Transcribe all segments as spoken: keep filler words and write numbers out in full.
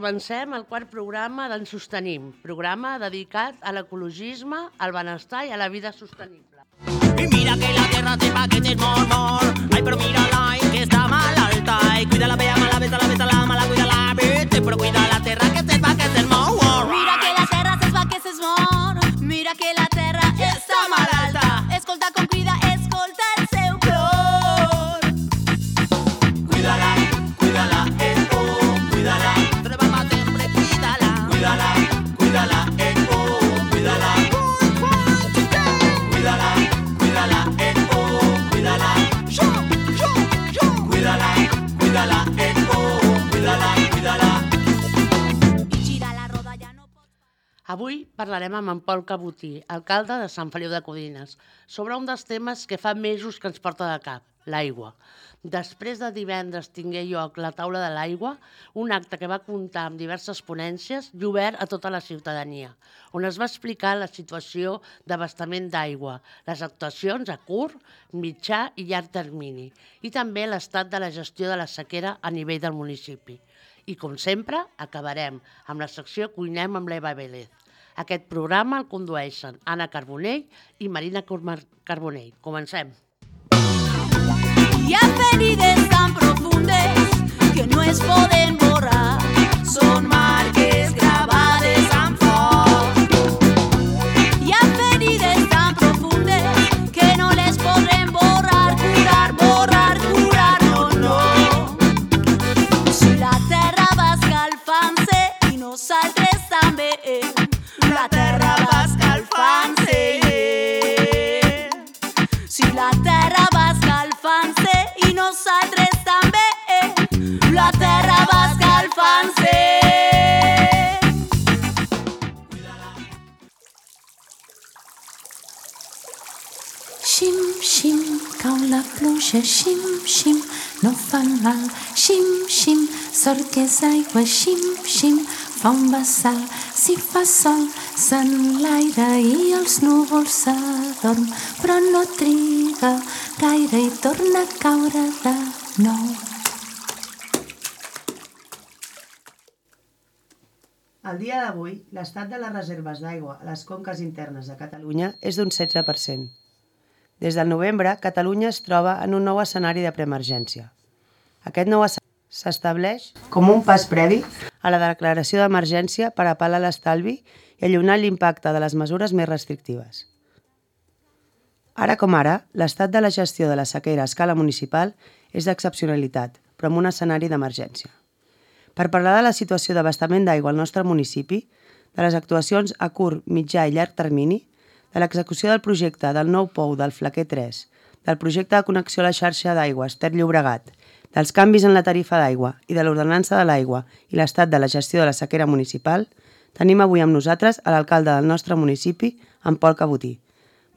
comencem el quart programa d'en Sostenim, programa dedicat a l'ecologisme, al benestar i a la vida sostenible. Y mira que la tierra sepa que es mor, mor. Ay, pero mírala, y que está mal alta. Y cuídala, bella, mala, besa, la besa, la mala, cuídala, vete. Pero cuida la tierra que sepa que es mor. Mira que la terra sepa que es mor. Mira que la terra està mal alta. Escolta com crida, escolta el seu plor. Cuídala, cuídala, eh, oh, cuídala. Treballa sempre, cuídala. Cuídala, cuídala, eh, oh, cuídala. Cuídala, cuídala, eh, oh, cuídala. Yo, yo, yo. Cuídala, cuídala, eh, oh, cuídala, cuídala. I gira la roda ja no pot... Avui parlarem amb en Pol Cabotí, alcalde de Sant Feliu de Codines, sobre un dels temes que fa mesos que ens porta de cap, l'aigua. Després de divendres tingué lloc la taula de l'aigua, un acte que va comptar amb diverses ponències i obert a tota la ciutadania, on es va explicar la situació d'abastament d'aigua, les actuacions a curt, mitjà i llarg termini, i també l'estat de la gestió de la sequera a nivell del municipi. I, com sempre, acabarem amb la secció Cuinem amb l'Eva Vélez. Aquest programa el condueixen Anna Carbonell i Marina Carbonell. Comencem. Hi ha ferides tan profundes que no es poden borrar. Són marques gravades amb foc. Hi ha ferides tan profundes que no les podrem borrar, curar, borrar, curar, no, no. Si la terra va escalfant-se i nosaltres també, la terra va escalfant-se. Si la terra va escalfant-se i nosaltres també, la terra va escalfant-se. Xim, xim, cau la pluja, xim, xim, no fa mal. Xim, xim, sort que és aigua, xim, xim, fa un vessal. Si fa sol, s'enlaira i els núvols s'adorm, però no triga gaire i torna a caure de nou. Al dia d'avui, l'estat de les reserves d'aigua a les conques internes de Catalunya és d'un setze per cent. Des del novembre, Catalunya es troba en un nou escenari de preemergència. Aquest nou escenari s'estableix com un pas previ a la declaració d'emergència per apel·lar l'estalvi i allunyar l'impacte de les mesures més restrictives. Ara com ara, l'estat de la gestió de la sequera a escala municipal és d'excepcionalitat, però amb un escenari d'emergència. Per parlar de la situació d'abastament d'aigua al nostre municipi, de les actuacions a curt, mitjà i llarg termini, de l'execució del projecte del nou pou del Flaquer tres, del projecte de connexió a la xarxa d'aigües Ter Llobregat, dels canvis en la tarifa d'aigua i de l'ordenança de l'aigua i l'estat de la gestió de la sequera municipal, tenim avui amb nosaltres a l'alcalde del nostre municipi, en Pol Cabotí.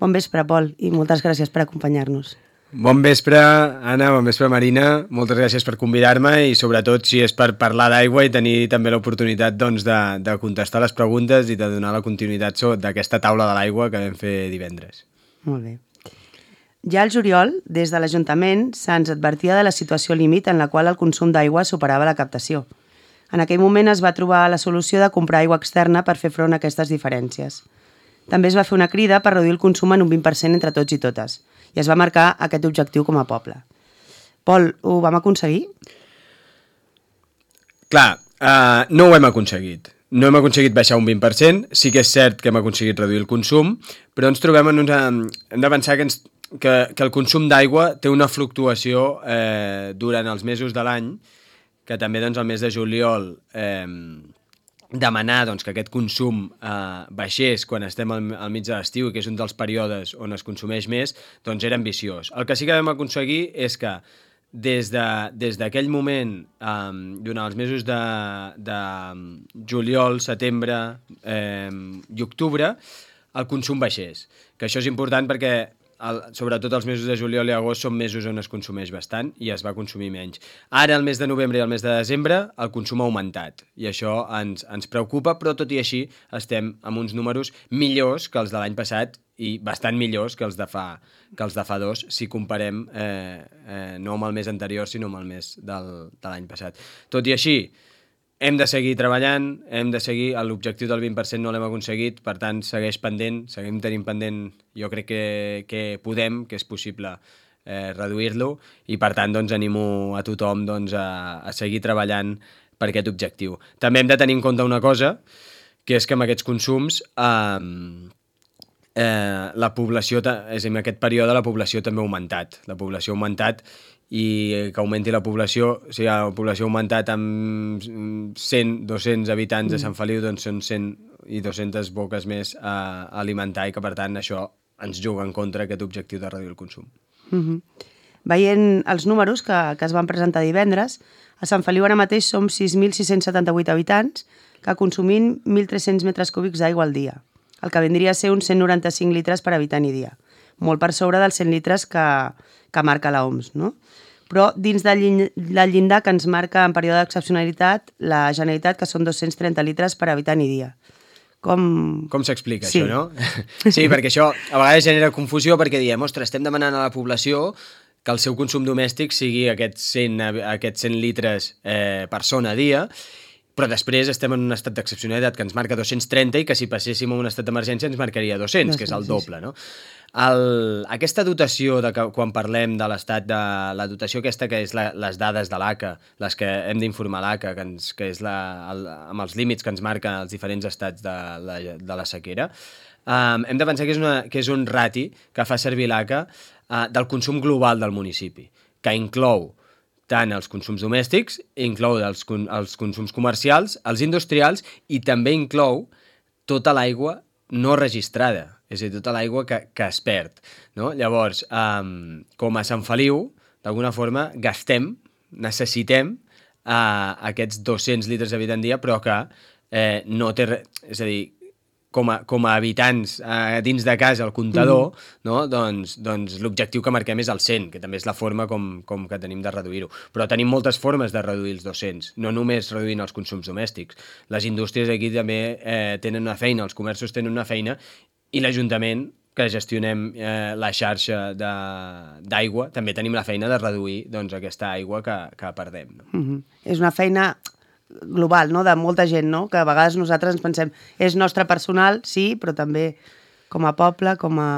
Bon vespre, Pol, i moltes gràcies per acompanyar-nos. Bon vespre, Anna, bon vespre, Marina. Moltes gràcies per convidar-me i sobretot si és per parlar d'aigua i tenir també l'oportunitat doncs, de, de contestar les preguntes i de donar la continuïtat d'aquesta taula de l'aigua que vam fer divendres. Molt bé. Ja al juliol, des de l'Ajuntament, se'ns advertia de la situació límit en la qual el consum d'aigua superava la captació. En aquell moment es va trobar la solució de comprar aigua externa per fer front a aquestes diferències. També es va fer una crida per reduir el consum en un vint per cent entre tots i totes, i es va marcar aquest objectiu com a poble. Pol, ho vam aconseguir? Clar, uh, no ho hem aconseguit. No hem aconseguit baixar un vint per cent, sí que és cert que hem aconseguit reduir el consum, però ens trobem en una... hem de pensar que, ens... que, que el consum d'aigua té una fluctuació eh, durant els mesos de l'any, que també doncs, el mes de juliol eh, demanar doncs, que aquest consum eh, baixés quan estem al, al mig de l'estiu, que és un dels períodes on es consumeix més, doncs era ambiciós. El que sí que vam aconseguir és que des d'aquell moment, eh, durant els mesos de, de juliol, setembre eh, i octubre, el consum baixés. Que això és important perquè el, sobretot els mesos de juliol i agost són mesos on es consumeix bastant i es va consumir menys. Ara, el mes de novembre i el mes de desembre, el consum ha augmentat i això ens, ens preocupa, però tot i així estem amb uns números millors que els de l'any passat i bastant millors que els de fa, que els de fa dos, si comparem eh, eh, no amb el mes anterior, sinó amb el mes del, de l'any passat. Tot i així, hem de seguir treballant, hem de seguir, l'objectiu del vint per cent no l'hem aconseguit, per tant, segueix pendent, seguim tenint pendent, jo crec que, que podem, que és possible eh, reduir-lo, i per tant, doncs, animo a tothom doncs, a, a seguir treballant per aquest objectiu. També hem de tenir en compte una cosa, que és que amb aquests consums eh, eh, la població, és a dir, en aquest període la població també ha augmentat, la població ha augmentat, i que augmenti la població, o sigui, la població ha augmentat amb cent, dos-cents habitants de Sant Feliu, doncs són cent i dues-centes boques més a alimentar, i que per tant això ens juga en contra aquest objectiu de reduir el consum. Mm-hmm. Veient els números que, que es van presentar divendres, a Sant Feliu ara mateix som sis mil sis-cents setanta-vuit habitants que consumim mil tres-cents metres cúbics d'aigua al dia, el que vindria a ser uns cent noranta-cinc litres per habitant i dia, molt per sobre dels cent litres que, que marca l'O M S, no? Però dins del llindar que ens marca en període d'excepcionalitat la Generalitat, que són dos-cents trenta litres per habitant i dia. Com, Com s'explica sí. això, no? Sí, perquè això a vegades genera confusió, perquè diem, ostres, estem demanant a la població que el seu consum domèstic sigui aquests cent, aquests cent litres eh, persona a dia, però després estem en un estat d'excepcionalitat que ens marca dos-cents trenta i que si passéssim a un estat d'emergència ens marcaria dos-cents, que és el doble, no? El, aquesta dotació, de que, quan parlem de l'estat de la dotació aquesta que és la, les dades de l'A C A, les que hem d'informar l'A C A, que, ens, que és la, el, amb els límits que ens marca els diferents estats de la, de la sequera, um, hem de pensar que és, una, que és un rati que fa servir l'A C A uh, del consum global del municipi, que inclou tant els consums domèstics, inclou els, els consums comercials, els industrials, i també inclou tota l'aigua no registrada, és a dir, tota l'aigua que, que es perd, no? Llavors, um, com a Sant Feliu, d'alguna forma, gastem, necessitem uh, aquests dos-cents litres d'habitant dia, però que eh, no té res, és a dir, com a, com a habitants eh, dins de casa, el comptador, mm. no? doncs, doncs l'objectiu que marquem és el cent, que també és la forma com, com que tenim de reduir-ho. Però tenim moltes formes de reduir els dos-cents, no només reduint els consums domèstics. Les indústries aquí també eh, tenen una feina, els comerços tenen una feina, i l'Ajuntament, que gestionem eh, la xarxa d'aigua, també tenim la feina de reduir doncs, aquesta aigua que, que perdem. No? Mm-hmm. És una feina global, no?, de molta gent, no?, que a vegades nosaltres ens pensem és nostre personal, sí, però també com a poble, com a...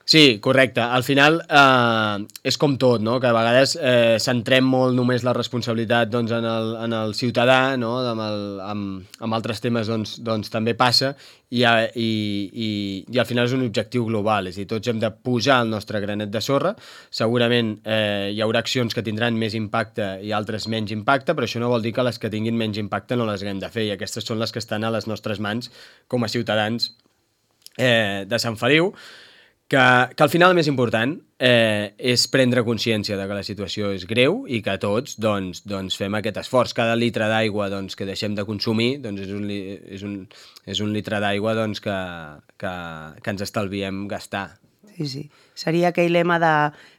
Sí, correcte. Al final eh, és com tot, no?, que a vegades eh, centrem molt només la responsabilitat doncs, en, el, en el ciutadà, no?, amb, el, amb, amb altres temes doncs, doncs també passa, i, i, i, i al final és un objectiu global, és a dir, tots hem de posar el nostre granet de sorra. Segurament eh, hi haurà accions que tindran més impacte i altres menys impacte, però això no vol dir que les que tinguin menys impacte no les haguem de fer, i aquestes són les que estan a les nostres mans com a ciutadans eh, de Sant Feliu, que, que al final el més important eh, és prendre consciència de que la situació és greu i que tots doncs, doncs fem aquest esforç. Cada litre d'aigua doncs, que deixem de consumir doncs, és, un, és, un, és un litre d'aigua doncs, que, que, que ens estalviem gastar. Sí, sí. Seria aquell lema de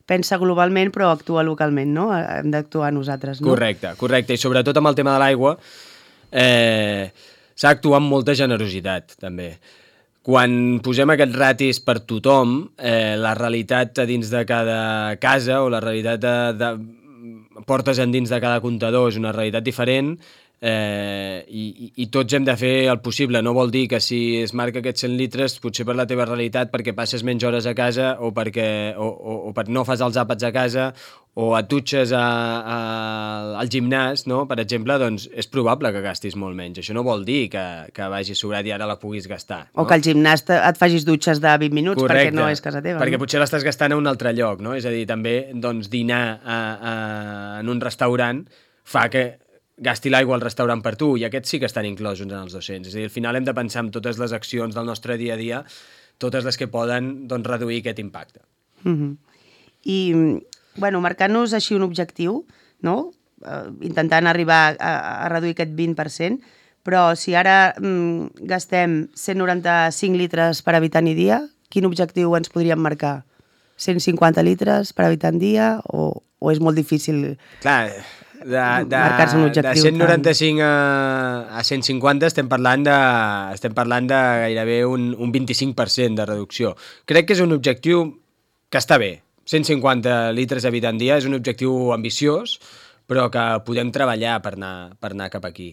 pensa globalment però actua localment, no? Hem d'actuar nosaltres, no? Correcte, correcte. I sobretot amb el tema de l'aigua eh, s'ha d'actuar amb molta generositat, també. Quan posem aquests ratis per tothom, eh, la realitat a dins de cada casa o la realitat de, de portes endins de cada comptador és una realitat diferent, eh, i, i tots hem de fer el possible. No vol dir que si es marca aquests cent litres potser per la teva realitat perquè passes menys hores a casa o perquè o, o, o per no fas els àpats a casa o et dutxes a, a, al gimnàs, no? Per exemple, doncs és probable que gastis molt menys. Això no vol dir que, que vagi sobrat i ara la puguis gastar. No? O que al gimnàs et facis dutxes de vint minuts. Correcte, perquè no és casa teva. Perquè no? potser l'estàs gastant a un altre lloc, no? És a dir, també doncs, dinar a, a, en un restaurant fa que gasti l'aigua al restaurant per tu, i aquests sí que estan inclosos en els dos-cents. És a dir, al final hem de pensar en totes les accions del nostre dia a dia, totes les que poden doncs, reduir aquest impacte. Mm-hmm. I, bueno, marcant-nos així un objectiu, no? Uh, intentant arribar a, a reduir aquest vint per cent, però si ara mm, gastem cent noranta-cinc litres per habitant i dia, quin objectiu ens podríem marcar? cent cinquanta litres per habitant dia o, o és molt difícil... Clar, de, de, marcar-se un objectiu de cent noranta-cinc a, a cent cinquanta estem parlant de, estem parlant de gairebé un, un vint-i-cinc per cent de reducció. Crec que és un objectiu que està bé. cent cinquanta litres habitant dia és un objectiu ambiciós, però que podem treballar per anar, per anar cap aquí.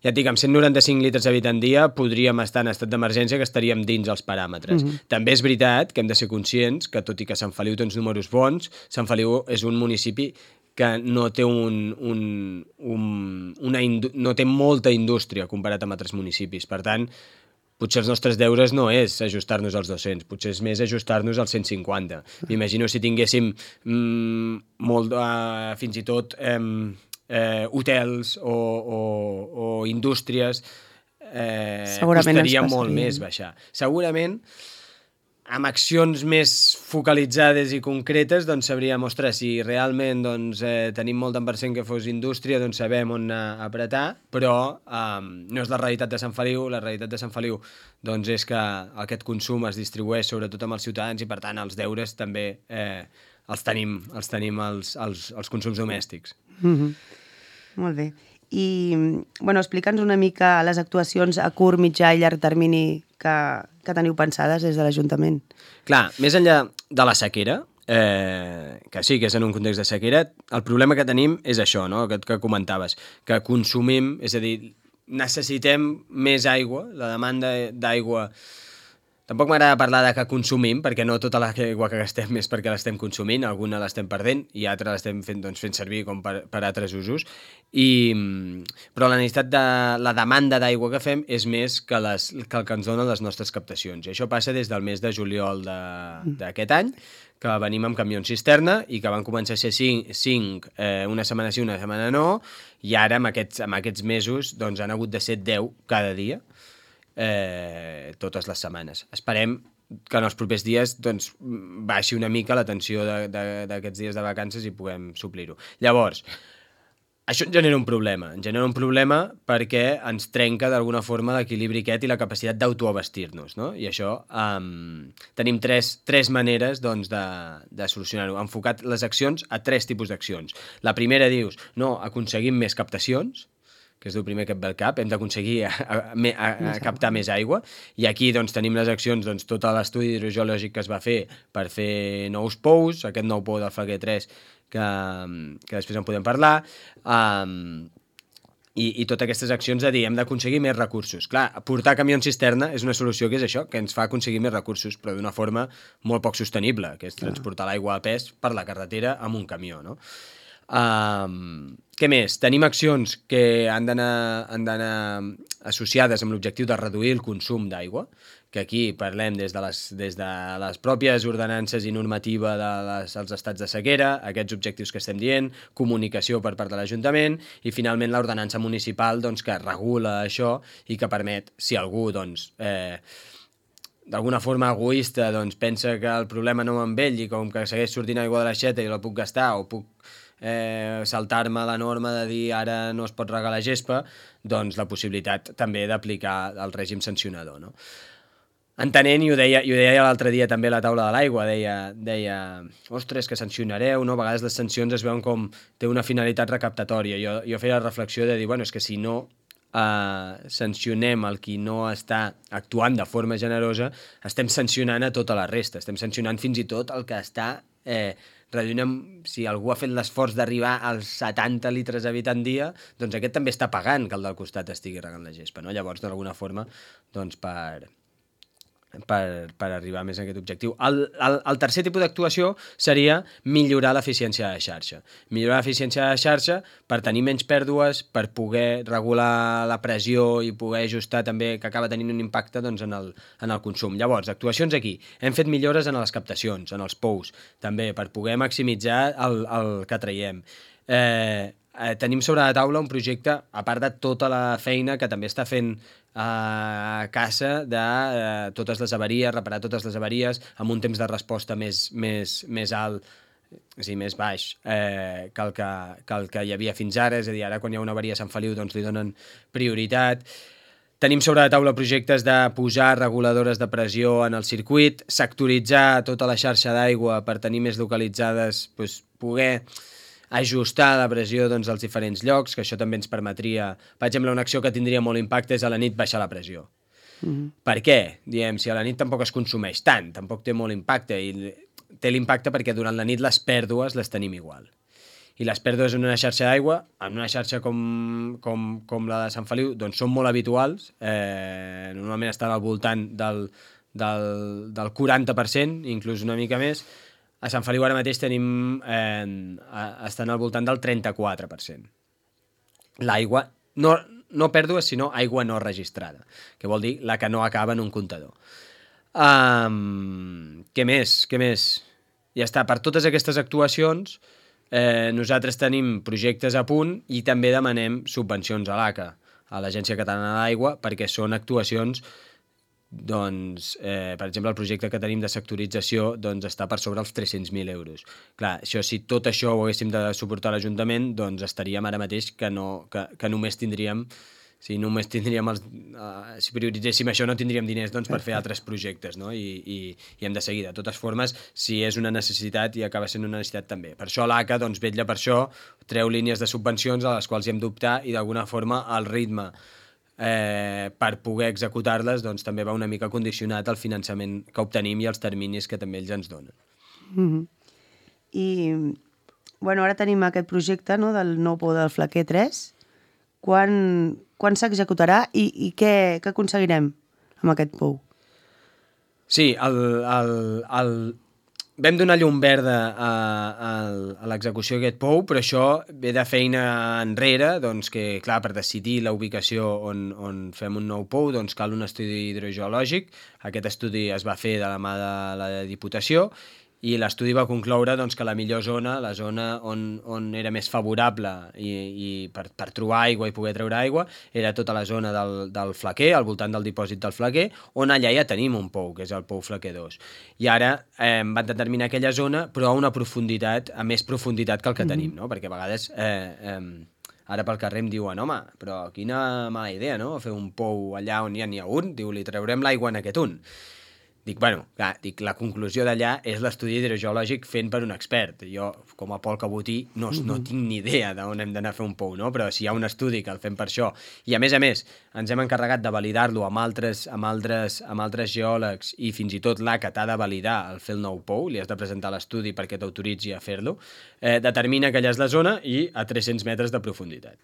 Ja et dic, amb cent noranta-cinc litres habitant dia podríem estar en estat d'emergència, que estaríem dins els paràmetres. Mm-hmm. També és veritat que hem de ser conscients que, tot i que Sant Feliu té uns números bons, Sant Feliu és un municipi que no té, un, un, un, una no té molta indústria comparat amb altres municipis. Per tant, potser els nostres deures no és ajustar-nos als dos-cents, potser és més ajustar-nos als cent cinquanta. M'imagino si tinguéssim mm, molt, uh, fins i tot eh, eh, hotels o, o, o indústries, eh, costaria molt més baixar. Segurament, amb accions més focalitzades i concretes, doncs sabríem, ostres, si realment doncs, eh, tenim molt tant per cent que fos indústria, doncs sabem on apretar, però eh, no és la realitat de Sant Feliu. La realitat de Sant Feliu doncs, és que aquest consum es distribueix sobretot amb els ciutadans i, per tant, els deures també eh, els tenim, els tenim els, els, els consums domèstics. Mm-hmm. Molt bé. I, bueno, explica'ns una mica les actuacions a curt, mitjà i llarg termini que, que teniu pensades des de l'Ajuntament. Clar, més enllà de la sequera, eh, que sí que és en un context de sequera, el problema que tenim és això, no?, que, que comentaves, que consumim, és a dir, necessitem més aigua, la demanda d'aigua. Tampoc m'agrada parlar de que consumim, perquè no tota l'aigua que gastem és perquè l'estem consumint, alguna l'estem perdent i altra l'estem fent, doncs, fent servir com per, per altres usos. I, però la necessitat de la demanda d'aigua que fem és més que, les, que el que ens donen les nostres captacions. I això passa des del mes de juliol d'aquest any, que venim amb camions cisterna i que van començar a ser cinc, cinc eh, una setmana sí, una setmana no, i ara amb aquests, amb aquests mesos doncs, han hagut de ser deu cada dia. Eh, totes les setmanes. Esperem que en els propers dies doncs, baixi una mica la tensió d'aquests dies de vacances i puguem suplir-ho. Llavors, això ens genera un problema. Ens genera un problema perquè ens trenca d'alguna forma l'equilibri aquest i la capacitat d'autoabastir-nos, no? I això um, tenim tres, tres maneres doncs, de, de solucionar-ho. Hem enfocat les accions a tres tipus d'accions. La primera dius, no, aconseguim més captacions, que és el primer que et ve al cap, hem d'aconseguir a, a, a, a captar més aigua, i aquí doncs, tenim les accions, doncs, tot l'estudi hidrogeològic que es va fer per fer nous pous, aquest nou pou del Flaquer tres, que, que després en podem parlar, um, i, i totes aquestes accions de dir, hem d'aconseguir més recursos. Clar, portar camions cisterna és una solució que és això, que ens fa aconseguir més recursos, però d'una forma molt poc sostenible, que és transportar l'aigua a pes per la carretera amb un camió, no? Um, què més? Tenim accions que han d'anar associades amb l'objectiu de reduir el consum d'aigua, que aquí parlem des de les, des de les pròpies ordenances i normativa dels de estats de sequera, aquests objectius que estem dient, comunicació per part de l'Ajuntament i finalment l'ordenança municipal doncs, que regula això i que permet, si algú doncs, eh, d'alguna forma egoista doncs, pensa que el problema no amb ell i com que segueix sortint aigua de l'aixeta i la puc gastar o puc Eh, saltar-me la norma de dir ara no es pot regar la gespa, doncs la possibilitat també d'aplicar el règim sancionador, no? Entenent, i ho deia, i ho deia l'altre dia també a la taula de l'aigua, deia, deia, ostres, que sancionareu, no? A vegades les sancions es veuen com té una finalitat recaptatòria. Jo, jo feia la reflexió de dir, bueno, és que si no eh, sancionem el qui no està actuant de forma generosa, estem sancionant a tota la resta, estem sancionant fins i tot el que està eh, reduint, si algú ha fet l'esforç d'arribar als setanta litres habitant dia, doncs aquest també està pagant que el del costat estigui regant la gespa, no? Llavors, d'alguna forma, doncs per, per, per arribar més a aquest objectiu. El, el, el tercer tipus d'actuació seria millorar l'eficiència de la xarxa. Millorar l'eficiència de la xarxa per tenir menys pèrdues, per poder regular la pressió i poder ajustar també, que acaba tenint un impacte doncs, en, el, en el consum. Llavors, actuacions aquí. Hem fet millores en les captacions, en els pous, també, per poder maximitzar el, el que traiem. Eh, eh, tenim sobre la taula un projecte, a part de tota la feina que també està fent a casa de eh, totes les avaries, reparar totes les avaries amb un temps de resposta més, més, més alt, és a dir, més baix eh, que, el que, que el que hi havia fins ara, és a dir, ara quan hi ha una avaria a Sant Feliu doncs li donen prioritat. Tenim sobre la taula projectes de posar reguladores de pressió en el circuit, sectoritzar tota la xarxa d'aigua per tenir més localitzades, doncs, poder ajustar la pressió doncs, als diferents llocs, que això també ens permetria... Per exemple, una acció que tindria molt impacte és a la nit baixar la pressió. Mm-hmm. Per què? Diem, si a la nit tampoc es consumeix tant, tampoc té molt impacte, i té l'impacte perquè durant la nit les pèrdues les tenim igual. I les pèrdues en una xarxa d'aigua, en una xarxa com, com, com la de Sant Feliu, doncs són molt habituals, eh, normalment estan al voltant del, del, del quaranta per cent, inclús una mica més. A Sant Feliu ara mateix tenim, eh, estan al voltant del trenta-quatre per cent. L'aigua, no, no pèrdues, sinó aigua no registrada, que vol dir la que no acaba en un comptador. Um, què més? Què més? Ja està, per totes aquestes actuacions eh, nosaltres tenim projectes a punt i també demanem subvencions a l'A C A, a l'Agència Catalana de l'Aigua, perquè són actuacions, doncs, eh, per exemple, el projecte que tenim de sectorització doncs, està per sobre els tres-cents mil euros. Clar, això, si tot això ho haguéssim de suportar l'Ajuntament, doncs estaríem ara mateix que, no, que, que només tindríem Si només tindríem els, uh, si prioritzéssim això no tindríem diners doncs, per fer altres projectes, no? I, i, i hem de seguir. De totes formes, si és una necessitat i acaba sent una necessitat també. Per això l'A C A doncs, vetlla per això, treu línies de subvencions a les quals hi hem d'optar i d'alguna forma el ritme eh, per poder executar-les doncs, també va una mica condicionat al finançament que obtenim i als terminis que també ells ens donen. Mm-hmm. I bueno, ara tenim aquest projecte, no, del nou pou del Flaquer tres. Quan, quan s'executarà i, i què, què aconseguirem amb aquest pou? Sí, el, el, el... vam donar llum verda a, a, a l'execució d'aquest pou, però això ve de feina enrere, doncs que, clar, per decidir la ubicació on, on fem un nou pou, doncs cal un estudi hidrogeològic. Aquest estudi es va fer de la mà de la Diputació i l'estudi va concloure doncs, que la millor zona, la zona on, on era més favorable i, i per, per trobar aigua i poder treure aigua, era tota la zona del, del Flaquer, al voltant del dipòsit del Flaquer, on allà ja tenim un pou, que és el pou Flaquer dos. I ara eh, van determinar aquella zona, però a una profunditat, a més profunditat que el que mm-hmm. tenim, no? Perquè a vegades... Eh, eh, ara pel carrer em diuen, home, però quina mala idea, no?, fer un pou allà on ja n'hi ha un, diu, li traurem l'aigua en aquest un. Dic, bueno, clar, dic, la conclusió d'allà és l'estudi hidrogeològic fent per un expert. Jo, com a Pol Cabotí, no, no tinc ni idea d'on hem d'anar a fer un pou, no? Però si hi ha un estudi que el fem per això, i a més a més ens hem encarregat de validar-lo amb altres, amb, altres, amb altres geòlegs i fins i tot l'A C A t'ha de validar el fer el nou pou, li has de presentar l'estudi perquè t'autoritzi a fer-lo, eh, determina que allà és la zona i a tres-cents metres de profunditat.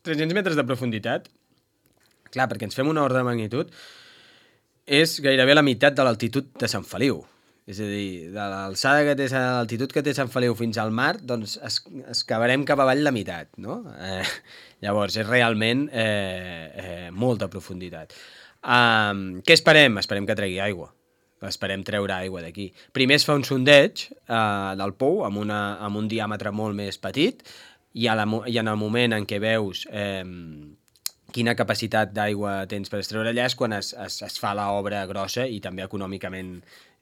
tres-cents metres de profunditat, clar, perquè ens fem una ordre de magnitud, és gairebé la meitat de l'altitud de Sant Feliu. És a dir, de l'alçada que té, l'altitud que té Sant Feliu fins al mar, doncs es, es cavarem cap avall la meitat, no? Eh, llavors, és realment eh, eh, molta profunditat. Um, què esperem? Esperem que tregui aigua. Esperem treure aigua d'aquí. Primer es fa un sondeig eh, del pou amb, una, amb un diàmetre molt més petit i, a la, i en el moment en què veus... Eh, quina capacitat d'aigua tens per extreure allà és quan es, es, es fa l'obra grossa i també econòmicament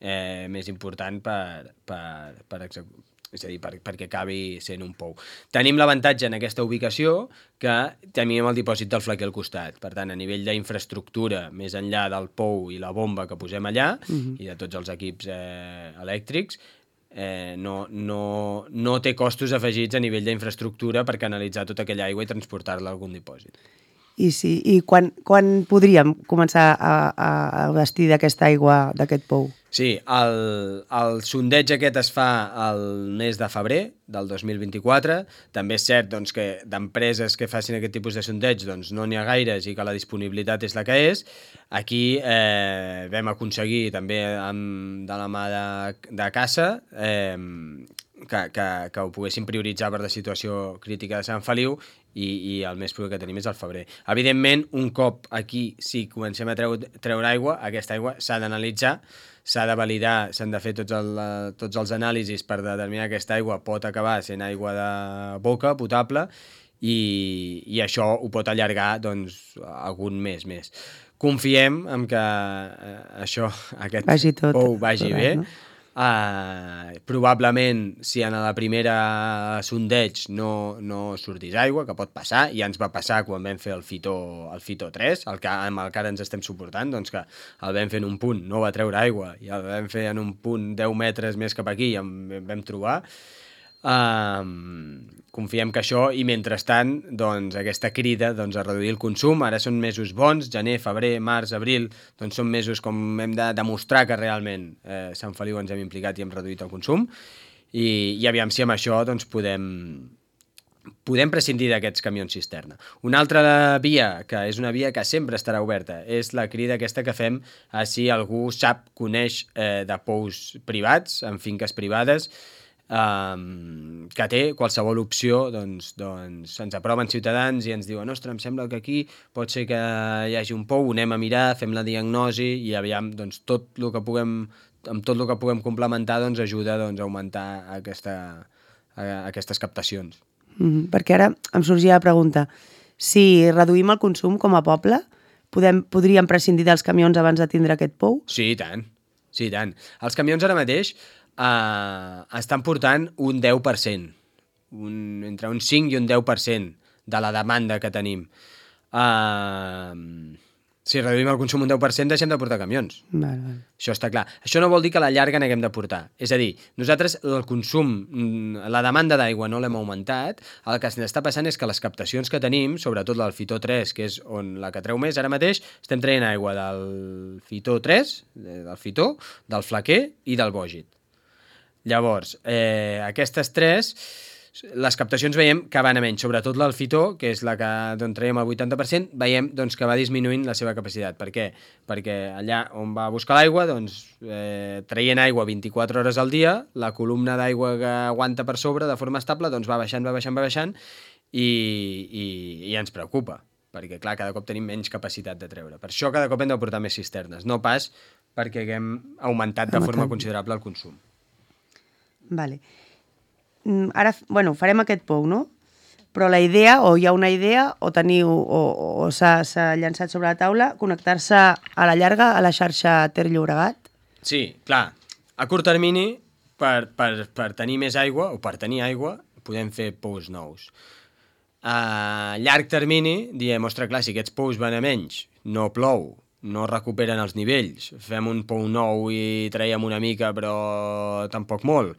eh, més important per, per, per executar. És a dir, per, perquè acabi sent un pou. Tenim l'avantatge en aquesta ubicació que tenim el dipòsit del Flaquer al costat. Per tant, a nivell d'infraestructura, més enllà del pou i la bomba que posem allà, uh-huh. i de tots els equips eh, elèctrics, eh, no, no, no té costos afegits a nivell d'infraestructura per canalitzar tota aquella aigua i transportar-la a algun dipòsit. I, sí, i quan, quan podríem començar a, a vestir d'aquesta aigua d'aquest pou? Sí, el, el sondeig aquest es fa el mes de febrer del dos mil vint-i-quatre. També és cert doncs, que d'empreses que facin aquest tipus de sondeig doncs, no n'hi ha gaires i que la disponibilitat és la que és. Aquí eh, vam aconseguir també amb, de la mà de, de Casa eh, que, que, que ho poguessin prioritzar per la situació crítica de Sant Feliu i, i el més proper que tenim és el febrer. Evidentment, un cop aquí sí comencem a treure, treure aigua, aquesta aigua s'ha d'analitzar, s'ha de validar, s'han de fer tots, el, tots els anàlisis per determinar que aquesta aigua pot acabar sent aigua de boca, potable, i, i això ho pot allargar doncs, algun mes més. Confiem en que eh, això, aquest vagi tot, pou vagi tot bé, no? Uh, probablement si en la primera sondeig no, no sortís aigua, que pot passar, ja ens va passar quan vam fer el Fito, el Fito tres, el que, amb el que ara ens estem suportant, doncs que el vam fer en un punt, no va treure aigua, i el vam fer en un punt deu metres més cap aquí i en vam trobar. Uh, confiem que això, i mentrestant doncs, aquesta crida doncs, a reduir el consum. Ara són mesos bons, gener, febrer, març, abril, doncs són mesos com hem de demostrar que realment eh, Sant Feliu ens hem implicat i hem reduït el consum, i, i aviam si amb això doncs, podem, podem prescindir d'aquests camions cisterna. Una altra via, que és una via que sempre estarà oberta, és la crida aquesta que fem a si algú sap, coneix eh, de pous privats, en finques privades, Um, que té qualsevol opció, doncs, doncs ens aproven ciutadans i ens diuen, ostres, em sembla que aquí pot ser que hi hagi un pou, anem a mirar, fem la diagnosi i aviam, doncs, tot el que puguem, amb tot el que puguem complementar doncs, ajuda doncs, a augmentar aquesta, a, aquestes captacions. Mm, perquè ara em sorgia la pregunta, si reduïm el consum com a poble, podem, podríem prescindir dels camions abans de tindre aquest pou? Sí, i tant. Sí, i tant. Els camions ara mateix Uh, estan portant un deu per cent, un, entre un cinc i un deu per cent de la demanda que tenim. Uh, si reduïm el consum un deu per cent, deixem de portar camions. Val, val. Això està clar. Això no vol dir que a la llarga n'haguem de portar. És a dir, nosaltres el consum, la demanda d'aigua no l'hem augmentat, el que està passant és que les captacions que tenim, sobretot del Fitó tres, que és on la que treu més, ara mateix estem traient aigua del Fitó tres, del Fitó, del Flaquer i del Bògit. Llavors, eh, aquestes tres, les captacions veiem que van a menys, sobretot l'Alfitó, que és la que d'on traiem el vuitanta per cent, veiem doncs, que va disminuint la seva capacitat. Per què? Perquè allà on va buscar l'aigua, doncs, eh, traient aigua vint-i-quatre hores al dia, la columna d'aigua que aguanta per sobre de forma estable doncs, va baixant, va baixant, va baixant, i, i, i ens preocupa, perquè clar, cada cop tenim menys capacitat de treure. Per això cada cop hem de portar més cisternes, no pas perquè haguem augmentat de forma considerable el consum. Vale. Ara, bueno, farem aquest pou, no? Però la idea, o hi ha una idea, o teniu, o, o s'ha llançat sobre la taula, connectar-se a la llarga a la xarxa Ter Llobregat? Sí, clar. A curt termini, per, per, per tenir més aigua, o per tenir aigua, podem fer pous nous. A llarg termini, diem, ostres, clar, si aquests pous van a menys, no plou, no recuperen els nivells, fem un pou nou i traiem una mica però tampoc molt.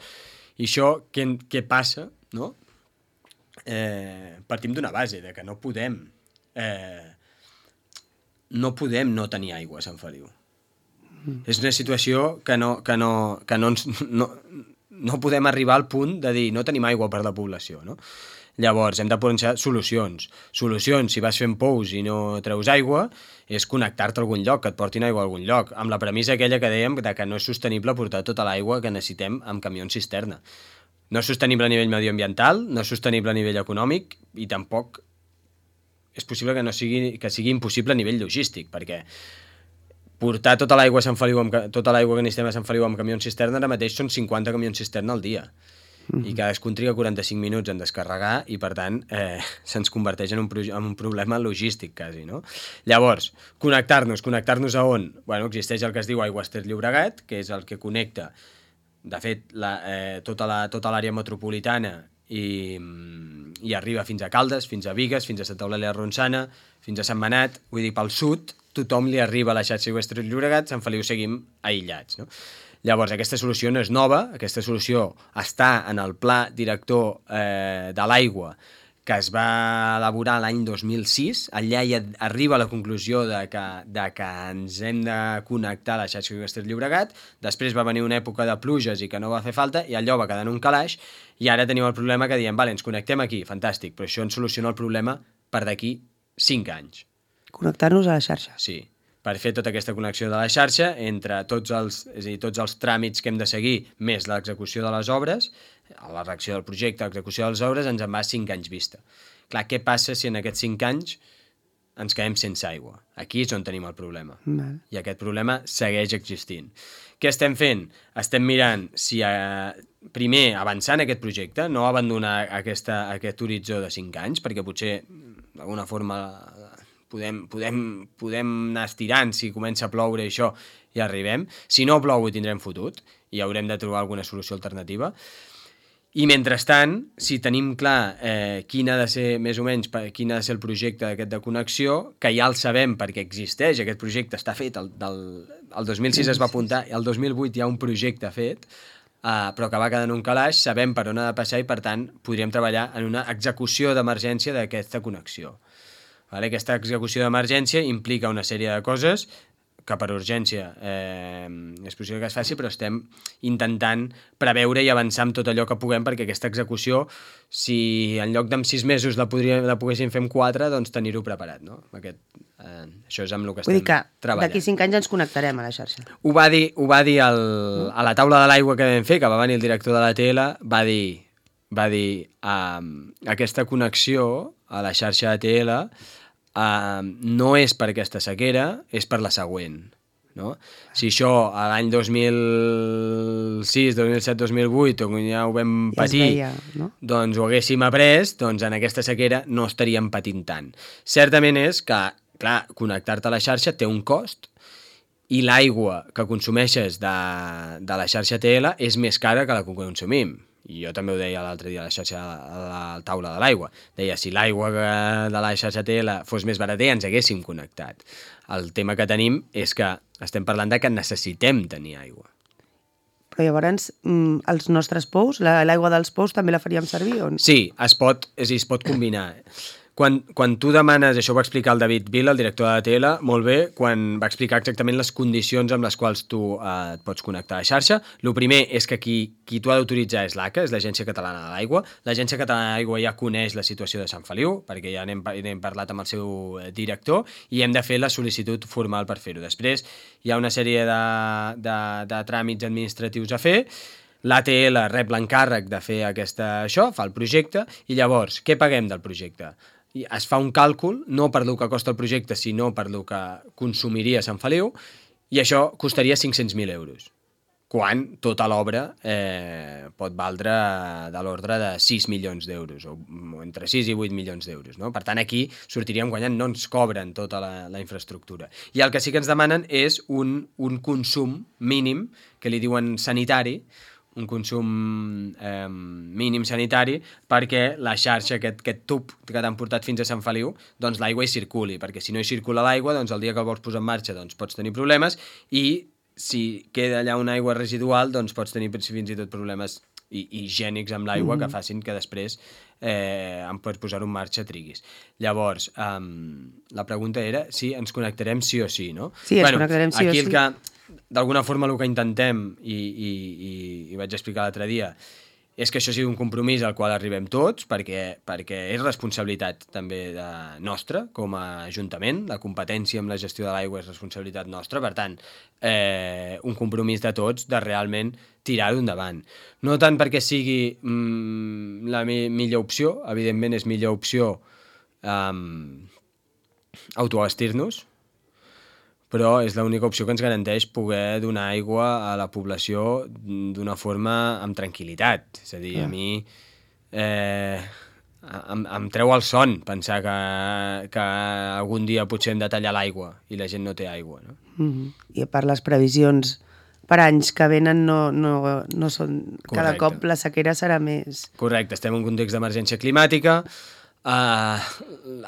I això què, què passa? No? Eh, partim d'una base, de que no podem eh, no podem no tenir aigua a Sant Feliu. Mm. És una situació que no, que no, que no, ens, no, no podem arribar al punt de dir no tenim aigua per la població, no? Llavors, hem de posar solucions. Solucions, si vas fent pous i no treus aigua, és connectar-te a algun lloc, que et portin aigua a algun lloc, amb la premissa aquella que dèiem de que no és sostenible portar tota l'aigua que necessitem amb camions cisterna. No és sostenible a nivell medioambiental, no és sostenible a nivell econòmic i tampoc és possible que, no sigui, que sigui impossible a nivell logístic, perquè portar tota l'aigua a Sant Feliu, amb, tota l'aigua que necessitem a Sant Feliu amb camions cisterna ara mateix són cinquanta camions cisterna al dia. Mm-hmm. I cadascun triga quaranta-cinc minuts en descarregar i, per tant, eh, se'ns converteix en un, en un problema logístic, quasi, no? Llavors, connectar-nos, connectar-nos a on? Bueno, existeix el que es diu Aigües Ter Llobregat, que és el que connecta, de fet, la, eh, tota la, tota l'àrea metropolitana i, i arriba fins a Caldes, fins a Bigues, fins a Santa Eulàlia de Ronçana, fins a Sant Manat, vull dir, pel sud, tothom li arriba a la xarxa Aigües Ter Llobregat, Sant Feliu seguim aïllats, no? Llavors, aquesta solució no és nova, aquesta solució està en el pla director eh, de l'aigua que es va elaborar l'any dos mil sis. Allà ja arriba a la conclusió de que, de que ens hem de connectar a la xarxa Aigües Ter Llobregat. Després va venir una època de pluges i que no va fer falta i allò va quedar en un calaix i ara tenim el problema que diem, vale, ens connectem aquí, fantàstic, però això ens soluciona el problema per d'aquí cinc anys. Connectar-nos a la xarxa. Sí, per fer tota aquesta connexió de la xarxa entre tots els, és a dir, tots els tràmits que hem de seguir, més l'execució de les obres, la reacció del projecte, l'execució de les obres, ens en va cinc anys vista. Clar, què passa si en aquests cinc anys ens quedem sense aigua? Aquí és on tenim el problema. Val. I aquest problema segueix existint. Què estem fent? Estem mirant si eh, primer avançar en aquest projecte, no abandonar aquesta, aquest horitzó de cinc anys, perquè potser d'alguna forma Podem, podem, podem anar estirant, si comença a ploure i això, i arribem. Si no plou, ho tindrem fotut i haurem de trobar alguna solució alternativa. I mentrestant, si tenim clar eh, quin ha de ser, més o menys, quin ha de ser el projecte d'aquest de connexió, que ja el sabem perquè existeix, aquest projecte està fet, el, del, el dos mil sis es va apuntar, el dos mil vuit hi ha un projecte fet, eh, però que va quedar en un calaix, sabem per on ha de passar i, per tant, podríem treballar en una execució d'emergència d'aquesta connexió. Vale? Aquesta execució d'emergència implica una sèrie de coses, que per urgència eh, és possible que es faci, però estem intentant preveure i avançar amb tot allò que puguem perquè aquesta execució, si en lloc d'en sis mesos la, podria, la poguéssim fer en quatre, doncs tenir-ho preparat, no? Aquest, eh, això és amb el que Vull estem dir que treballant. d'aquí cinc anys ens connectarem a la xarxa. Ho va dir, ho va dir el, a la taula de l'aigua que vam fer, que va venir el director de l'A T L, va dir, va dir um, aquesta connexió a la xarxa A T L Uh, no és per aquesta sequera, és per la següent. No? Si això a l'any dos mil sis, dos mil set, dos mil vuit, on ja ho vam Ja es patir, veia, no? doncs ho haguéssim après, doncs en aquesta sequera no estaríem patint tant. Certament és que, clar, connectar-te a la xarxa té un cost i l'aigua que consumeixes de, de la xarxa A T L és més cara que la que consumim. I jo també ho deia l'altre dia a la xarxa, a la taula de l'aigua. Deia, si l'aigua de la xarxa A T L fos més barata ja ens haguéssim connectat. El tema que tenim és que estem parlant de que necessitem tenir aigua. Però llavors, mm, els nostres pous, la- l'aigua dels pous també la faríem servir? O... Sí, es pot, és a dir, es pot combinar. Quan, quan tu demanes, això ho va explicar el David Vila, el director de l'A T L, molt bé, quan va explicar exactament les condicions amb les quals tu eh, et pots connectar a la xarxa. El primer és que qui, qui t'ho ha d'autoritzar és l'A C A, és l'Agència Catalana de l'Aigua. L'Agència Catalana de l'Aigua ja coneix la situació de Sant Feliu, perquè ja n'hem, n'hem parlat amb el seu director, i hem de fer la sol·licitud formal per fer-ho. Després hi ha una sèrie de, de, de tràmits administratius a fer. L'A T L rep l'encàrrec de fer aquesta, això, fa el projecte, i llavors, què paguem del projecte? I es fa un càlcul, no per lo que costa el projecte, sinó per lo que consumiria Sant Feliu, i això costaria cinc-cents mil euros, quan tota l'obra eh, pot valdre de l'ordre de sis milions d'euros, o entre sis i vuit milions d'euros. No? Per tant, aquí sortiríem guanyant, no ens cobren tota la, la infraestructura. I el que sí que ens demanen és un, un consum mínim, que li diuen sanitari, un consum eh, mínim sanitari perquè la xarxa, aquest, aquest tub que t'han portat fins a Sant Feliu, doncs l'aigua hi circuli, perquè si no hi circula l'aigua, doncs el dia que el vols posar en marxa doncs pots tenir problemes i si queda allà una aigua residual doncs pots tenir fins i tot problemes higiènics amb l'aigua mm-hmm. que facin que després eh, en pots posar-ho en marxa triguis. Llavors, um, la pregunta era si ens connectarem sí o sí, no? Sí, ens bueno, connectarem sí o sí. Aquí el que d'alguna forma el que intentem, i, i, i, i vaig explicar l'altre dia, és que això sigui un compromís al qual arribem tots, perquè, perquè és responsabilitat també de nostra, com a Ajuntament, la competència amb la gestió de l'aigua és responsabilitat nostra, per tant, eh, un compromís de tots de realment tirar-ho endavant. No tant perquè sigui mm, la mi millor opció, evidentment és millor opció um, autoabastir-nos, però és l'única opció que ens garanteix poder donar aigua a la població d'una forma amb tranquil·litat. És a dir, a mi eh, em, em treu el son pensar que, que algun dia potser hem de tallar l'aigua i la gent no té aigua. No? Mm-hmm. I per les previsions per anys que venen no, no, no són... Correcte. Cada cop la sequera serà més... Correcte, estem en un context d'emergència climàtica, Uh,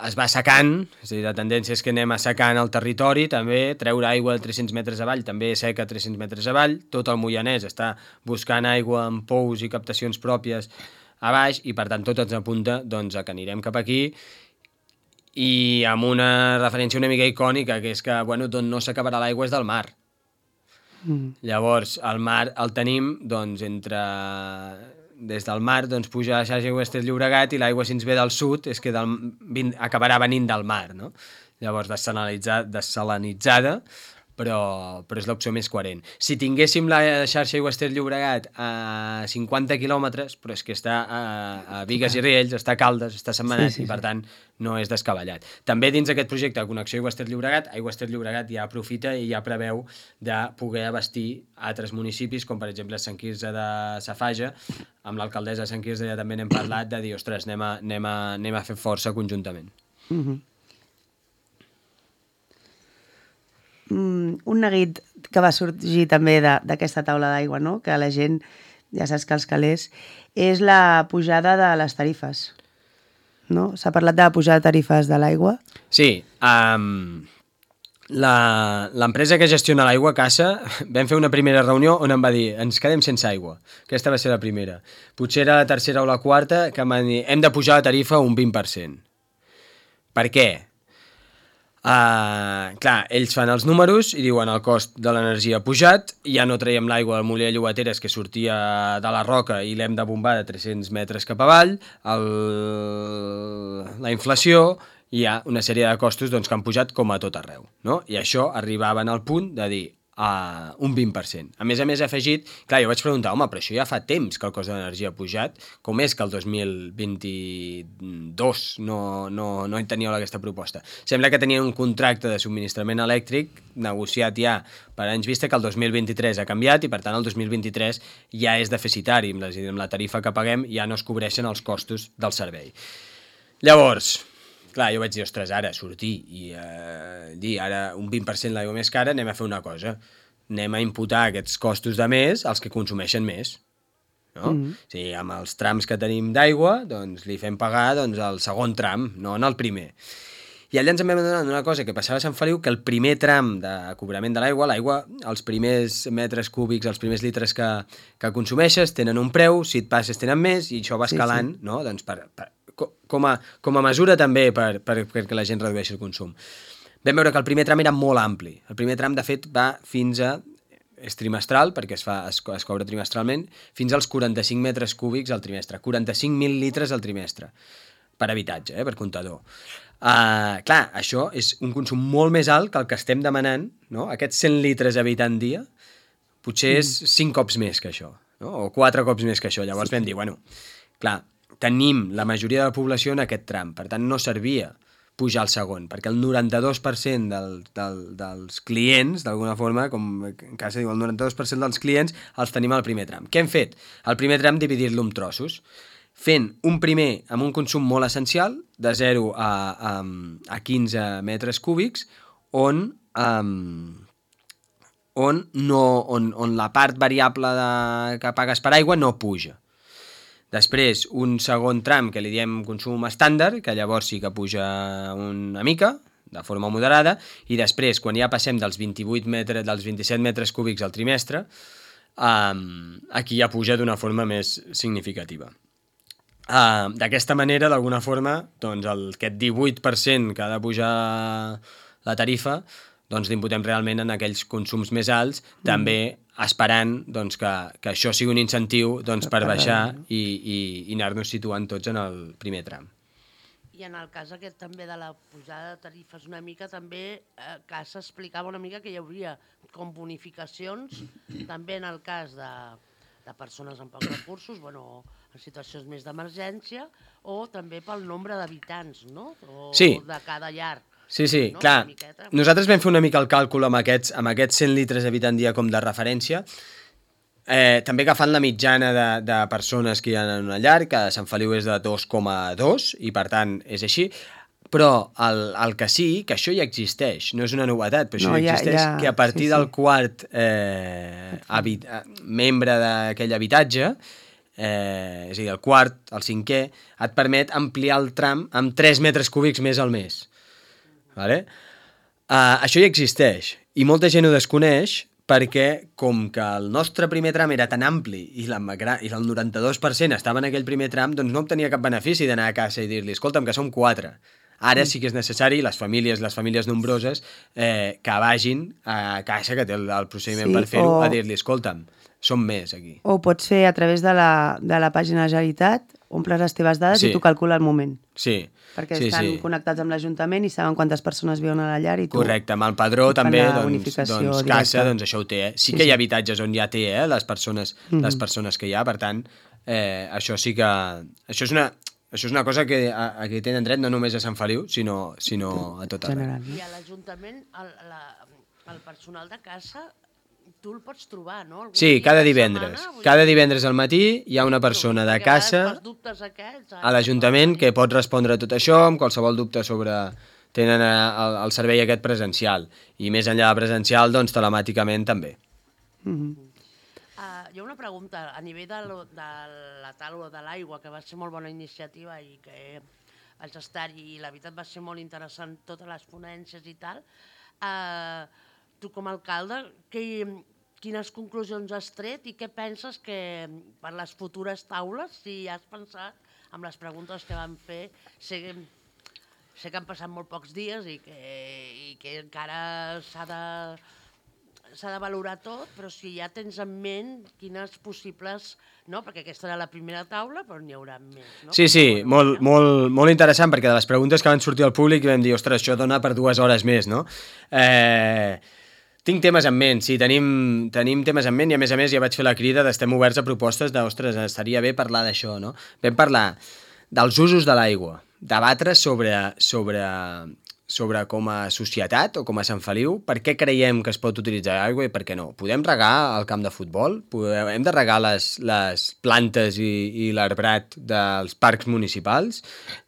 es va secant, és a dir, la tendència és que anem assecant el territori, també treure aigua de tres-cents metres avall, també seca tres-cents metres avall, tot el Moianès està buscant aigua amb pous i captacions pròpies a baix i per tant tot ens apunta doncs, a que anirem cap aquí i amb una referència una mica icònica, que és que bueno, d'on no s'acabarà l'aigua és del mar. Mm. Llavors el mar el tenim doncs, entre... des del mar doncs, puja a la xarxa Aigües Ter Llobregat i l'aigua si ens ve del sud és que del, vin, acabarà venint del mar, no? Llavors dessalinitzada, dessalinitzada però, però és l'opció més coherent. Si tinguéssim la xarxa Aigües Ter Llobregat a cinquanta quilòmetres, però és que està a, a Bigues i Riells, està a Caldes, està a Sentmenat, sí, sí, sí. I per tant no és descabellat. També dins d'aquest projecte de connexió Aigües Ter Llobregat, Aigües Ter Llobregat ja aprofita i ja preveu de poder abastir altres municipis, com per exemple Sant Quirze de Safaja. Amb l'alcaldessa de Sant Quirze ja també n'hem parlat de dir, ostres, anem a, anem a, anem a fer força conjuntament. Mm-hmm. Mm, un neguit que va sorgir també d'aquesta taula d'aigua, no? Que la gent, ja saps que els calés, és la pujada de les tarifes. No? S'ha parlat de la pujada de tarifes de l'aigua? Sí, um, l'empresa que gestiona l'aigua, Cassa, vam fer una primera reunió on em va dir ens quedem sense aigua. Aquesta va ser la primera. Potser era la tercera o la quarta que em van dir hem de pujar la tarifa un vint per cent. Per què? Uh, clar, ells fan els números i diuen el cost de l'energia ha pujat, ja no traiem l'aigua del molí de Llobateres que sortia de la roca i l'hem de bombar de tres-cents metres cap avall, el... la inflació, hi ha una sèrie de costos doncs, que han pujat com a tot arreu, no? I això arribaven al punt de dir a un vint per cent. A més a més, he afegit... Clar, jo vaig preguntar, home, però això ja fa temps que el cost de l'energia ha pujat, com és que el dos mil vint-i-dos no, no, no en teníeu aquesta proposta? Sembla que tenien un contracte de subministrament elèctric negociat ja per anys vista que el dos mil vint-i-tres ha canviat i, per tant, el dos mil vint-i-tres ja és deficitari. Amb la, amb la tarifa que paguem ja no es cobreixen els costos del servei. Llavors... Clar, jo vaig dir, ostres, ara sortir i eh, dir, ara un vint per cent l'aigua més cara, anem a fer una cosa. Anem a imputar aquests costos de més als que consumeixen més. No? Mm-hmm. O sigui, amb els trams que tenim d'aigua, doncs li fem pagar doncs, el segon tram, no en el primer. I allà ens en vam adonar una cosa que passava a Sant Feliu, que el primer tram de cobrament de l'aigua, l'aigua, els primers metres cúbics, els primers litres que, que consumeixes, tenen un preu, si et passes tenen més, i això va escalant, sí, sí. No? Doncs per, per, com, a, com a mesura també per, per, perquè la gent redueixi el consum. Vam veure que el primer tram era molt ampli. El primer tram, de fet, va fins a... és trimestral, perquè es, fa, es, es cobra trimestralment, fins als quaranta-cinc metres cúbics al trimestre. quaranta-cinc mil litres al trimestre. Per habitatge, eh, per comptador. Uh, clar, això és un consum molt més alt que el que estem demanant, no? Aquests cent litres habitant dia, potser és cinc cops més que això, no? O quatre cops més que això. Llavors sí. Vam dir, bueno, clar, tenim la majoria de la població en aquest tram, per tant no servia pujar al segon, perquè el noranta-dos per cent del, del, dels clients, d'alguna forma, com en casa diu, el noranta-dos per cent dels clients els tenim al primer tram. Què hem fet? El primer tram dividir-lo en trossos, fent un primer amb un consum molt essencial, de zero a, a, a quinze metres cúbics, on, um, on, no, on, on la part variable de, que pagues per aigua no puja. Després, un segon tram que li diem consum estàndard, que llavors sí que puja una mica, de forma moderada, i després, quan ja passem dels vint-i-vuit metres, dels vint-i-set metres cúbics al trimestre, um, aquí ja puja d'una forma més significativa. Uh, d'aquesta manera, d'alguna forma, doncs el, aquest divuit per cent que ha de pujar la tarifa, doncs l'imputem realment en aquells consums més alts, mm. també esperant doncs, que, que això sigui un incentiu doncs, per baixar i, i, i anar-nos situant tots en el primer tram. I en el cas aquest també de la pujada de tarifes una mica, també eh, que s'explicava una mica que hi hauria com bonificacions, també en el cas de, de persones amb pocs recursos, bueno, en situacions més d'emergència, o també pel nombre d'habitants, no? O sí. De cada llar. Sí, sí, no? clar. Nosaltres vam fer una mica el càlcul amb aquests, amb aquests cent litres habitant dia com de referència, eh, també agafant la mitjana de, de persones que hi ha en una llar, que a Sant Feliu és de dos coma dos, i per tant és així, però el, el que sí, que això ja existeix, no és una novetat, però això no, ja existeix, ja, que a partir sí, del sí. quart eh, habit, membre d'aquell habitatge, eh, és a dir, el quart, el cinquè, et permet ampliar el tram amb tres metres cúbics més al mes. Vale? Uh, això ja existeix i molta gent ho desconeix perquè com que el nostre primer tram era tan ampli i, la, i el noranta-dos per cent estava en aquell primer tram, doncs no obtenia cap benefici d'anar a casa i dir-li, escolta'm, que som quatre. Ara sí que és necessari, les famílies, les famílies nombroses, eh, que vagin a casa, que té el, el procediment sí, per fer-ho, o... a dir-li, escolta'm, som més aquí. O pots fer a través de la, de la pàgina de la Generalitat, omples les teves dades sí. I tu calcula el moment. Sí. Perquè sí, estan sí. connectats amb l'Ajuntament i saben quantes persones viuen a la llar i tu... Correcte, amb el padró també, doncs, doncs casa, doncs això ho té. Eh? Sí, sí que hi ha habitatges on ja té eh, les, persones, mm-hmm. les persones que hi ha, per tant, eh, això sí que... Això és una, això és una cosa que a, a qui tenen dret no només a Sant Feliu, sinó, sinó a tot arreu. I a l'Ajuntament, el, la, el personal de casa... Tu el pots trobar, no? Algun sí, cada divendres. Setmana, cada divendres al matí hi ha una persona de casa aquests, a l'Ajuntament que pot respondre a tot això, amb qualsevol dubte sobre... Tenen el, el servei aquest presencial. I més enllà de presencial, doncs telemàticament també. Mm-hmm. uh, hi ha una pregunta. A nivell de, lo, de la taula de l'aigua, que va ser molt bona iniciativa i que vaig estar-hi, i la veritat va ser molt interessant, totes les ponències i tal, eh... Uh, tu com a alcalde, que, quines conclusions has tret i què penses que per les futures taules, si has pensat amb les preguntes que vam fer, si sé que han passat molt pocs dies i que, i que encara s'ha de s'ha de valorar tot, però si ja tens en ment quines possibles... No? Perquè aquesta era la primera taula, però n'hi haurà més. No? Sí, sí, molt, molt, molt interessant, perquè de les preguntes que van sortir al públic vam dir, ostres, això dona per dues hores més, no? Eh, tinc temes en ment, sí, tenim, tenim temes en ment i a més a més ja vaig fer la crida d'estem oberts a propostes de, ostres, estaria bé parlar d'això, no? Vam parlar dels usos de l'aigua, debatre sobre... sobre sobre com a societat o com a Sant Feliu, per què creiem que es pot utilitzar aigua i per què no. Podem regar el camp de futbol? Podem, hem de regar les, les plantes i, i l'arbrat dels parcs municipals?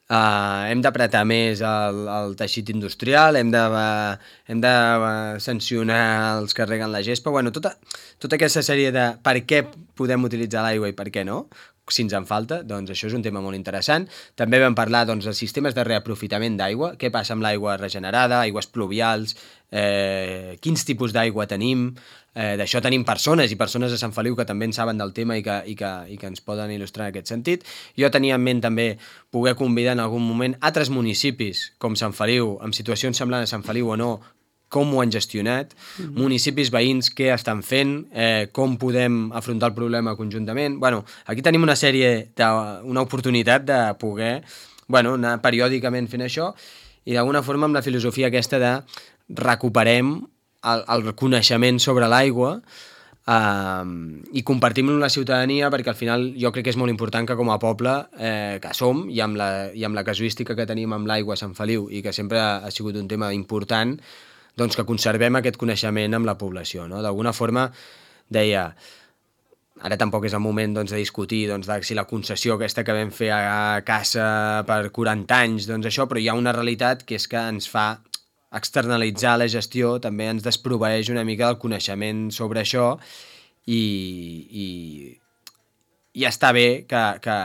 Uh, hem d'apretar més el, el teixit industrial? Hem de, uh, hem de uh, sancionar els que reguen la gespa? Bueno, tota, tota aquesta sèrie de per què podem utilitzar l'aigua i per què no, si ens en falta, doncs això és un tema molt interessant. També vam parlar doncs, dels sistemes de reaprofitament d'aigua, què passa amb l'aigua regenerada, aigües pluvials, eh, quins tipus d'aigua tenim, eh, d'això tenim persones i persones de Sant Feliu que també en saben del tema i que, i, que, i que ens poden il·lustrar en aquest sentit. Jo tenia en ment també poder convidar en algun moment altres municipis com Sant Feliu, amb situacions semblants a Sant Feliu o no, com ho han gestionat, mm-hmm. municipis veïns què estan fent, eh, com podem afrontar el problema conjuntament. Bueno, aquí tenim una sèrie, de, una oportunitat de poder bueno, anar periòdicament fent això i d'alguna forma amb la filosofia aquesta de recuperem el, el coneixement sobre l'aigua eh, i compartim-lo amb la ciutadania perquè al final jo crec que és molt important que com a poble eh, que som i amb, la, i amb la casuística que tenim amb l'aigua a Sant Feliu i que sempre ha sigut un tema important, doncs que conservem aquest coneixement amb la població. No? D'alguna forma, deia, ara tampoc és el moment doncs, de discutir doncs, de si la concessió aquesta que vam fer a casa per quaranta anys, doncs això, però hi ha una realitat que és que ens fa externalitzar la gestió, també ens desproveeix una mica del coneixement sobre això i, i, i està bé que, que,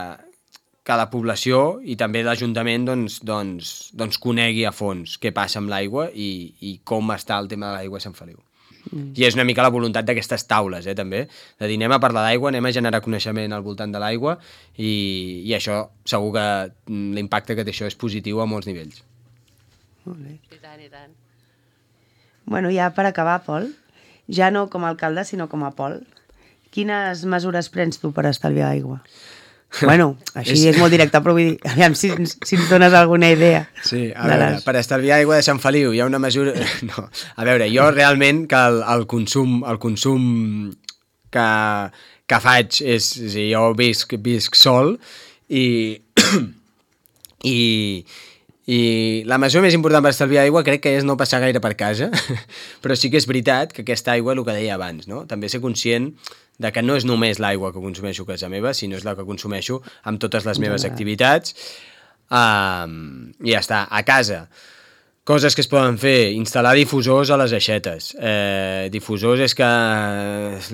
que la població i també l'Ajuntament doncs, doncs, doncs conegui a fons què passa amb l'aigua i, i com està el tema de l'aigua a Sant Feliu. Mm. I és una mica la voluntat d'aquestes taules, eh, també, de dir anem a parlar d'aigua, anem a generar coneixement al voltant de l'aigua i, i això segur que l'impacte que té això és positiu a molts nivells. Molt bé. I tant, i tant. Bueno, ja per acabar, Pol, ja no com a alcalde, sinó com a Pol, quines mesures prens tu per estalviar aigua? Bueno, així és... és molt directe, però vull dir, aviam si, si ens dones alguna idea. Sí, a veure, les... per estalviar aigua de Sant Feliu hi ha una mesura... No, a veure, jo realment que el, el consum, el consum que, que faig és... és dir, jo visc, visc sol i... i... I la mesura més important per estalviar aigua crec que és no passar gaire per casa, però sí que és veritat que aquesta aigua, el que deia abans, no? També ser conscient de que no és només l'aigua que consumeixo a casa meva, sinó és la que consumeixo amb totes les meves activitats. Um, I ja està, a casa. Coses que es poden fer, instal·lar difusors a les aixetes. Eh, difusors és que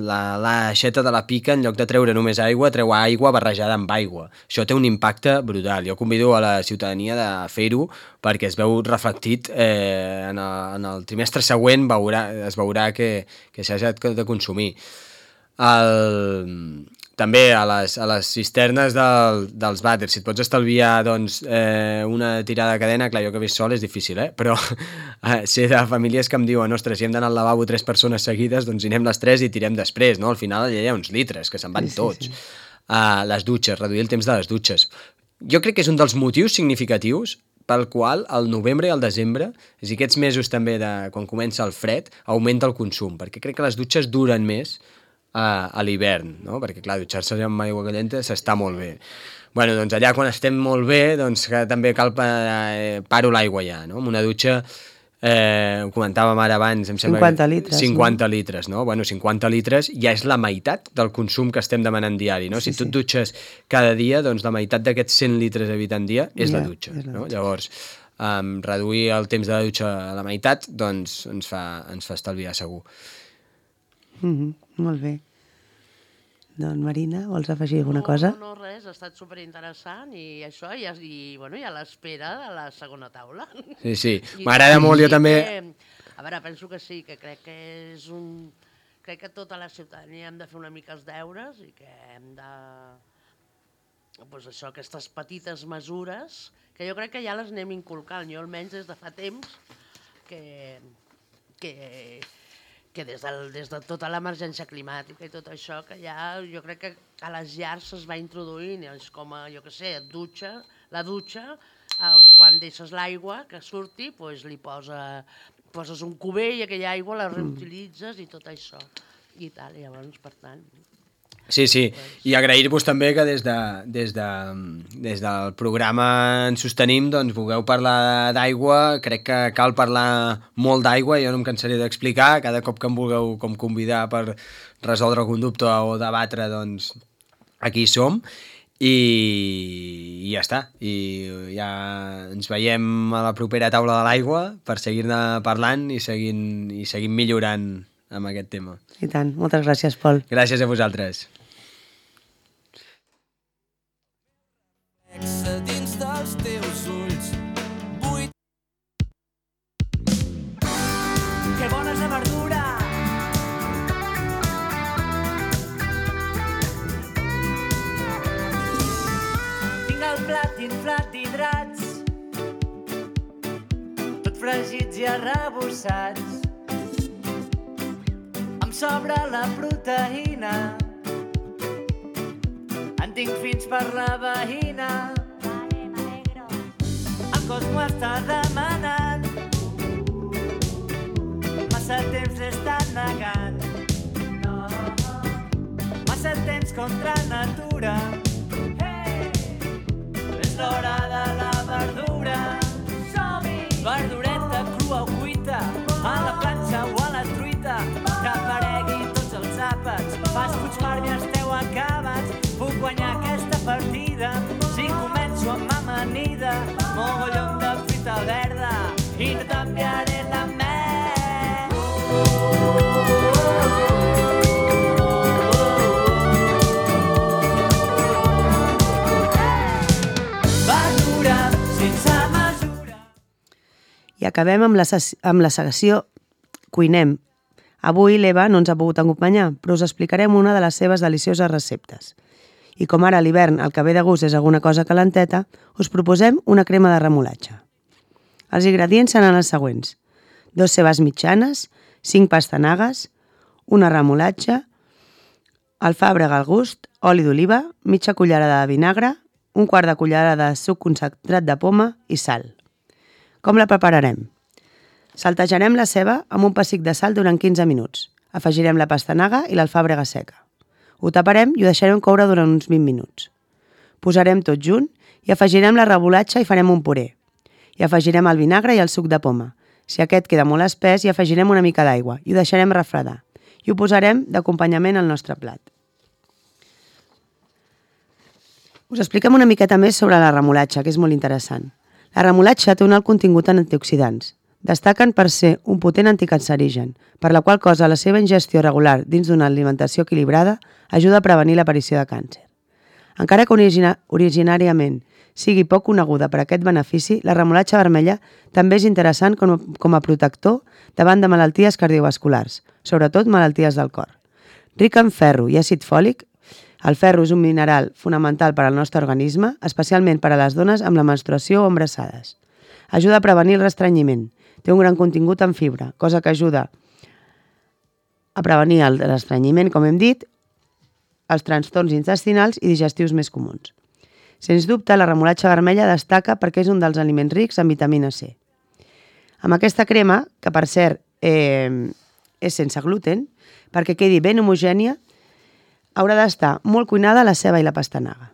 la, la aixeta de la pica, en lloc de treure només aigua, treu aigua barrejada amb aigua. Això té un impacte brutal. Jo convido a la ciutadania de fer-ho perquè es veu reflectit eh, en, el, en el trimestre següent veurà, es veurà que, que s'ha de consumir. El... També a les, a les cisternes del, dels vàters, si et pots estalviar doncs, eh, una tirada de cadena, clar, jo que he vist sol és difícil, eh? Però eh, sé de famílies que em diuen, ostres, si hem d'anar al lavabo tres persones seguides, doncs hi anem les tres i tirem després, no? Al final hi ha uns litres, que se'n van sí, tots. Sí, sí. Uh, les dutxes, reduir el temps de les dutxes. Jo crec que és un dels motius significatius pel qual el novembre i el desembre, és a dir, aquests mesos també de quan comença el fred, augmenta el consum, perquè crec que les dutxes duren més a, a l'hivern, no? Perquè clar, dutxar-se amb aigua calenta s'està molt bé. Bueno, doncs allà quan estem molt bé, doncs que també cal eh, paro l'aigua ja, no? Amb una dutxa, eh, ho comentàvem ara abans, em sembla cinquanta litres. cinquanta no? litres, no? Bueno, cinquanta litres ja és la meitat del consum que estem demanant diari, no? Sí, si tu et dutxes cada dia, doncs la meitat d'aquests cent litres evitant dia és ja, la dutxa, és la no? Dutxa. Llavors, um, reduir el temps de la dutxa a la meitat, doncs ens fa, ens fa estalviar segur. Mm-hmm. Molt bé. Doncs Marina, vols afegir alguna no, cosa? No, no, res, ha estat superinteressant i això, i, i, bueno, i a l'espera de la segona taula. Sí, sí, m'agrada molt, jo també... Que, a veure, penso que sí, que crec que és un... Crec que tota la ciutadania hem de fer una mica els deures i que hem de... doncs això, aquestes petites mesures, que jo crec que ja les anem inculcant, jo almenys des de fa temps, que, que, que des, del, des de tota l'emergència climàtica i tot això, que ja jo crec que a les llars es va introduint, és com a, jo què sé, dutxa, la dutxa, eh, quan deixes l'aigua que surti, doncs li posa, poses un cubell i aquella aigua la reutilitzes i tot això. I tal, llavors, per tant... Sí, sí, i agrair-vos també que des, de, des, de, des del programa Ens Sostenim doncs, vulgueu parlar d'aigua, crec que cal parlar molt d'aigua, jo no em cansaré d'explicar, cada cop que em vulgueu com convidar per resoldre algun dubte o debatre, doncs aquí som, i, i ja està, i ja ens veiem a la propera taula de l'aigua per seguir-ne parlant i seguint, i seguint millorant amb aquest tema. I tant, moltes gràcies, Pol. Gràcies a vosaltres. Dins dels teus ulls buit. Que bona és la verdura. Tinc el plat inflat d'hidrats, tot fregits i arrebossats. Em sobra la proteïna, en tinc fins per la veïna. El cos m'ho està demanant, massa temps l'he estat negant. Massa temps contra natura. És l'hora de la verdura. Verdureta crua o cuita, a la planxa o a la truita, que aparegui tots els àpats. Fas puigfar i esteu acabats. Puc guanyar aquesta partida si començo amb amanida, mogollon de fruita verda i no t'enviaré la mel. Verdura sense mesura. I acabem amb la, amb la secció Cuinem. Avui l'Eva no ens ha pogut acompanyar, però us explicarem una de les seves delicioses receptes. I com ara a l'hivern el que ve de gust és alguna cosa calenteta, us proposem una crema de remolatxa. Els ingredients seran els següents: dos cebes mitjanes, cinc pastanagues, una remolatxa, alfàbrega al gust, oli d'oliva, mitja cullerada de vinagre, un quart de cullerada de suc concentrat de poma i sal. Com la prepararem? Saltejarem la ceba amb un pessic de sal durant quinze minuts. Afegirem la pastanaga i l'alfàbrega seca. Ho taparem i ho deixarem coure durant uns vint minuts. Posarem tot junt i afegirem la remolatxa i farem un puré. I afegirem el vinagre i el suc de poma. Si aquest queda molt espès, hi afegirem una mica d'aigua i ho deixarem refredar. I ho posarem d'acompanyament al nostre plat. Us expliquem una miqueta més sobre la remolatxa, que és molt interessant. La remolatxa té un alt contingut en antioxidants. Destaquen per ser un potent anticancerigen, per la qual cosa la seva ingestió regular dins d'una alimentació equilibrada ajuda a prevenir l'aparició de càncer. Encara que origina, originàriament sigui poc coneguda per aquest benefici, la remolatxa vermella també és interessant com a, com a protector davant de malalties cardiovasculars, sobretot malalties del cor. Rica en ferro i àcid fòlic, el ferro és un mineral fonamental per al nostre organisme, especialment per a les dones amb la menstruació o embarassades. Ajuda a prevenir el restrenyiment. Té un gran contingut en fibra, cosa que ajuda a prevenir el restrenyiment, com hem dit, els trastorns intestinals i digestius més comuns. Sens dubte, la remolatxa vermella destaca perquè és un dels aliments rics en vitamina C. Amb aquesta crema, que per cert eh, és sense gluten, perquè quedi ben homogènia, haurà d'estar molt cuinada la ceba i la pastanaga.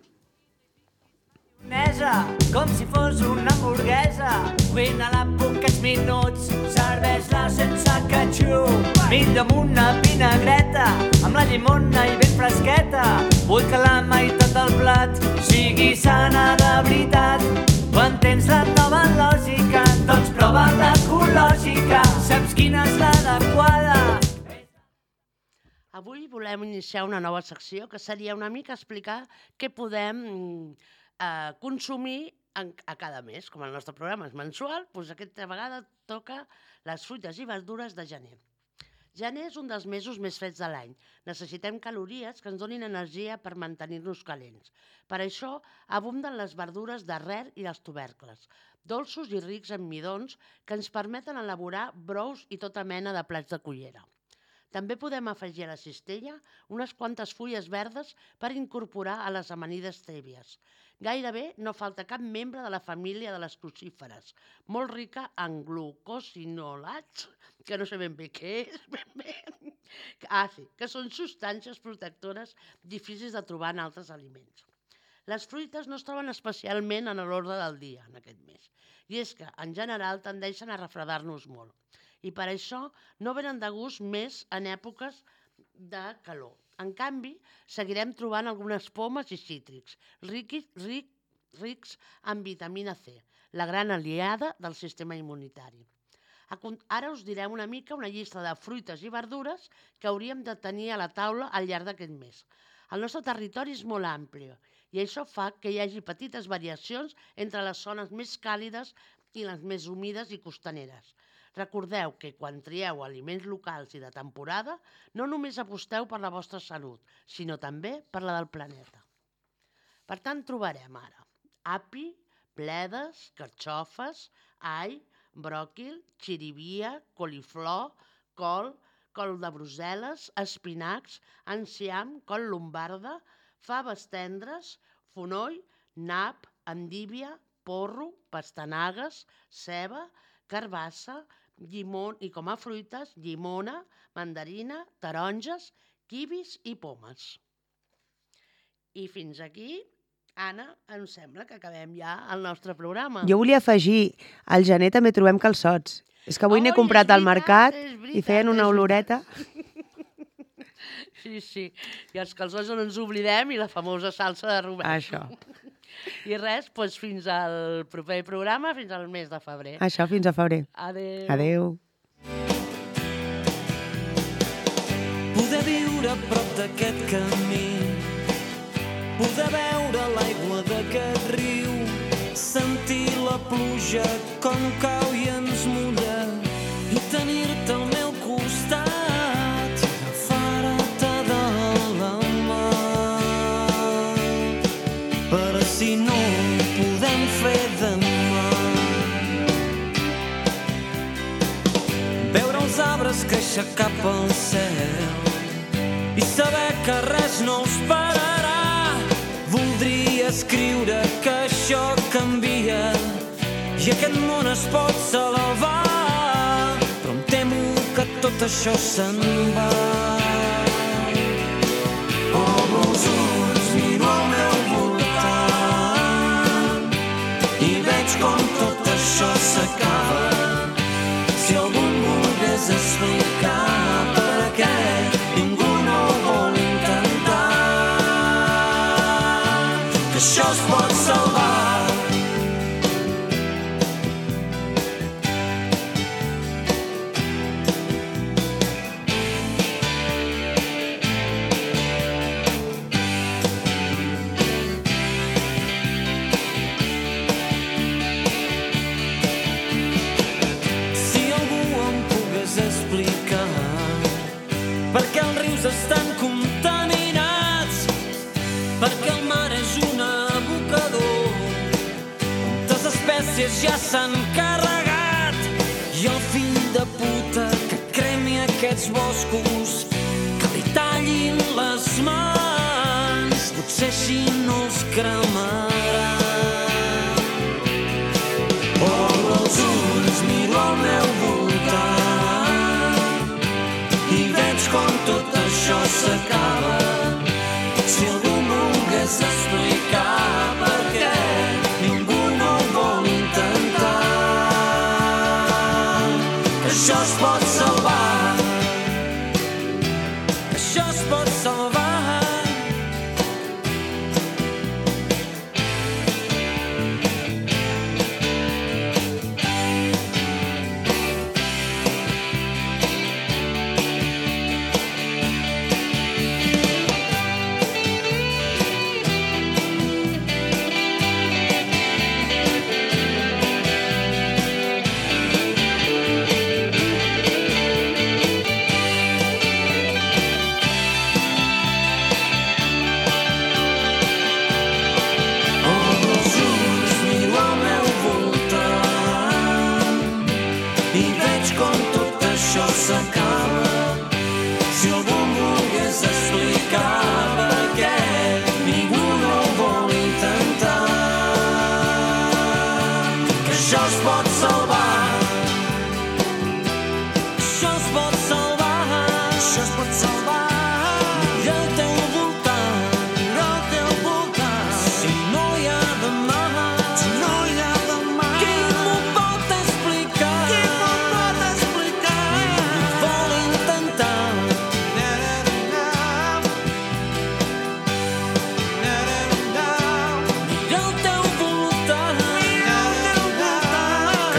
Com si fos una hamburguesa, cuina-la poquets minuts, serveix-la sense ketchup, millor amb una vinagreta, amb la llimona i ben fresqueta. Vull que la meitat del plat sigui sana de veritat. Quan tens la nova lògica, doncs prova l'ecològica, saps quina és l'adequada. Avui volem iniciar una nova secció que seria una mica explicar què podem eh, consumir en, a cada mes. Com el nostre programa és mensual, doncs aquesta vegada toca les fruites i verdures de gener. Gener és un dels mesos més freds de l'any. Necessitem calories que ens donin energia per mantenir-nos calents. Per això abunden les verdures d'arrel i els tubercles, dolços i rics en midons que ens permeten elaborar brous i tota mena de plats de cullera. També podem afegir a la cistella unes quantes fulles verdes per incorporar a les amanides tèbies. Gairebé no falta cap membre de la família de les crucíferes, molt rica en glucosinolats, que no sé ben bé què és, ben bé. Ah, sí, que són substàncies protectores difícils de trobar en altres aliments. Les fruites no es troben especialment en l'ordre del dia en aquest mes, i és que, en general, tendeixen a refredar-nos molt. I per això no venen de gust més en èpoques de calor. En canvi, seguirem trobant algunes pomes i cítrics, rics, ric, rics en vitamina C, la gran aliada del sistema immunitari. Ara us direm una mica una llista de fruites i verdures que hauríem de tenir a la taula al llarg d'aquest mes. El nostre territori és molt ampli i això fa que hi hagi petites variacions entre les zones més càlides i les més humides i costaneres. Recordeu que quan trieu aliments locals i de temporada, no només aposteu per la vostra salut, sinó també per la del planeta. Per tant, trobarem ara api, bledes, carxofes, all, bròquil, xirivia, coliflor, col, col de Brussel·les, espinacs, enciam, col lombarda, faves tendres, fonoll, nap, endívia, porro, pastanagues, ceba, carbassa, llimón i com a fruites, llimona, mandarina, taronges, kiwis i pomes. I fins aquí, Anna, em sembla que acabem ja el nostre programa. Jo volia afegir, al gener també trobem calçots. És que avui n'he comprat al mercat i feien una oloreta. Sí, sí. I els calçots no ens oblidem i la famosa salsa de Robert. Això. I res, doncs fins al proper programa, fins al mes de febrer. Això, fins a febrer. Adéu. Adéu. Poder viure a prop d'aquest camí, poder veure l'aigua d'aquest riu, sentir la pluja com cau i ens mulla i tenir-te al meu costat, agafar-te de la mà. Però si no ho podem fer demà, veure els arbres créixer cap al cel i saber que res no us pararà. Voldria escriure que això canvia i aquest món es pot salvar, però em temo que tot això se'n va. Obro els ulls, miro al meu voltant i veig com tot això s'acaba. Si algú em volgués explicar per què ningú no ho vol intentar, que això es pot salvar. Perquè els rius estan contaminats, perquè el mar és un abocador, moltes espècies ja s'han carregat, i el fill de puta que cremi aquests boscos, que li tallin les mans, potser així no els cremarà. Obro els ulls, miro al meu voltant i veig com tot això s'acaba. Si algú em volgués explicar per què ningú no ho vol intentar, que això es pot salvar, que això es pot salvar.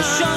això